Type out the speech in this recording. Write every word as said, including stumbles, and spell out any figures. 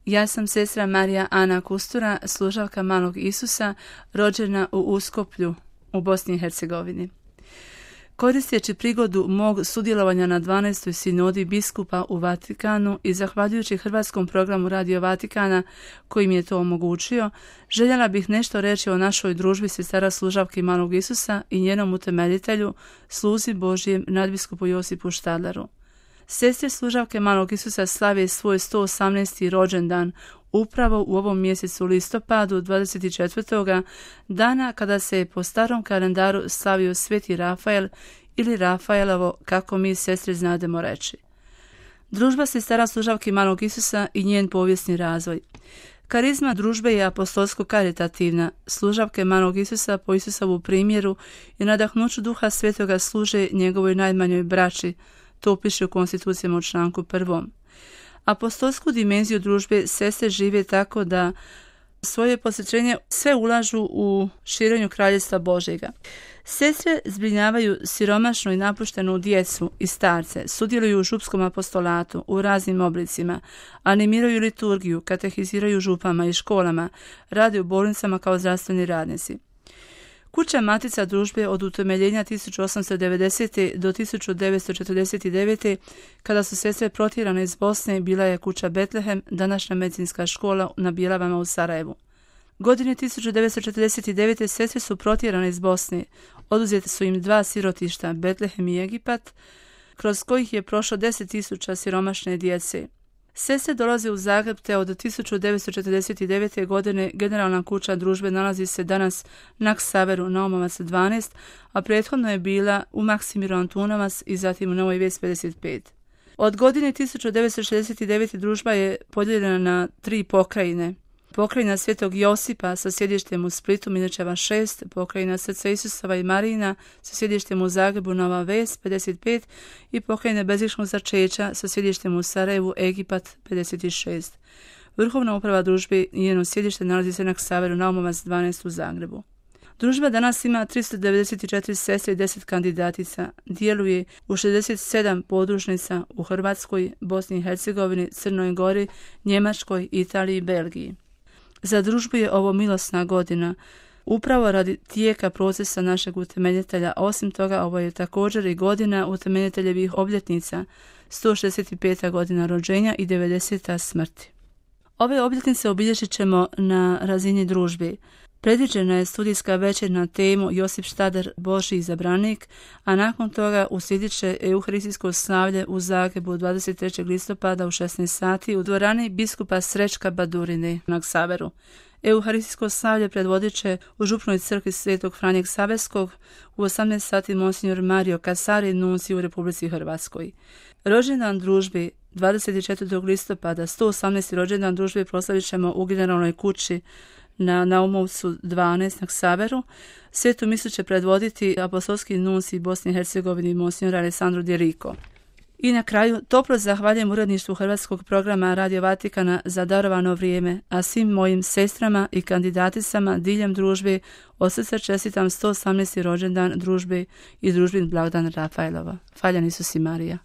Ja sam sestra Marija Ana Kustura, služavka Malog Isusa, rođena u Uskoplju u Bosni i Hercegovini. Koristeći prigodu mog sudjelovanja na dvanaestoj sinodi biskupa u Vatikanu i zahvaljujući hrvatskom programu Radio Vatikana koji mi je to omogućio, željela bih nešto reći o našoj družbi sestara služavki Malog Isusa i njenom utemeljitelju, sluzi Božjem nadbiskupu Josipu Štadleru. Sestre služavke Malog Isusa slave svoj sto osamnaesti rođendan upravo u ovom mjesecu listopadu dvadeset četvrtog dana kada se je po starom kalendaru slavio Sveti Rafael ili Rafaelovo, kako mi sestre znademo reći. Družba sestara služavki Malog Isusa i njen povijesni razvoj. Karizma družbe je apostolsko-karitativna. Služavke Malog Isusa po Isusovu primjeru i nadahnuću Duha Svetoga služe njegovoj najmanjoj braći. To piše u konstitucijama u članku prvom. Apostolsku dimenziju družbe sestre žive tako da svoje posvećenje sve ulažu u širenju kraljevstva Božjega. Sestre zbrinjavaju siromašnu i napuštenu djecu i starce, sudjeluju u župskom apostolatu u raznim oblicima, animiraju liturgiju, katehiziraju župama i školama, rade u bolnicama kao zdravstveni radnici. Kuća Matica družbe od utemeljenja tisuću osamsto devedesete. do tisuću devetsto četrdeset devete. kada su sestre protjerane iz Bosne, bila je kuća Betlehem, današnja medicinska škola na Bjelavama u Sarajevu. Godine tisuću devetsto četrdeset devete. sestre su protjerane iz Bosne. Oduzete su im dva sirotišta, Betlehem i Egipat, kroz kojih je prošlo deset tisuća siromašne djece. Sestre dolaze u Zagreb te od tisuću devetsto četrdeset devete. godine generalna kuća družbe nalazi se danas na Ksaveru Naumovac dvanaest, a prethodno je bila u Maksimiru Antunovac i zatim u Novoj Ves pedeset pet. Od godine tisuću devetsto šezdeset devete. družba je podijeljena na tri pokrajine. Pokrajina Svetog Josipa sa sjedištem u Splitu, Miličeva šest, pokrajina Srca Isusova i Marijina sa sjedištem u Zagrebu, Nova Ves pedeset pet i pokrajina Bezgrešnog začeća sa sjedištem u Sarajevu, Egipat pedeset šest. Vrhovna uprava družbe i njeno sjedište nalazi se na Ksaveru Naumovac dvanaest u Zagrebu. Družba danas ima tristo devedeset četiri sestre i deset kandidatica. Djeluje u šezdeset sedam podružnica u Hrvatskoj, Bosni i Hercegovini, Crnoj Gori, Njemačkoj, Italiji i Belgiji. Za družbu je ovo milosna godina, upravo radi tijeka procesa našeg utemeljitelja. Osim toga, ovo je također i godina utemeljiteljevih obljetnica, sto šezdeset peta godina rođenja i devedeseta smrti. Ove obljetnice obilježit ćemo na razini družbe. Predviđena je studijska večer na temu Josip Štadler, Božji izabranik, a nakon toga uslijedit će euharistijsko slavlje u Zagrebu dvadeset trećeg listopada u šesnaest sati u dvorani biskupa Srećka Badurine na Ksaveru. Euharistijsko slavlje predvodit će u župnoj crkvi Svetog Franje Ksaveskog u osamnaest sati monsignor Mario Kasari, nunci u Republici Hrvatskoj. Rođendan družbe dvadeset četvrtog listopada, sto osamnaesti rođendan družbe proslavit ćemo u generalnoj kući na Naumovcu dvanaest na Ksaveru. Svetu misu će predvoditi apostolski nunci Bosni i Hercegovini monsignor Alessandro Di Rico. I na kraju, toplo zahvaljujem uredništvu hrvatskog programa Radio Vatikana za darovano vrijeme, a svim mojim sestrama i kandidaticama diljem družbe od srca čestitam sto osamnaesti rođendan družbe i družbin blagdan Rafaelova. Hvaljen Isus i Marija.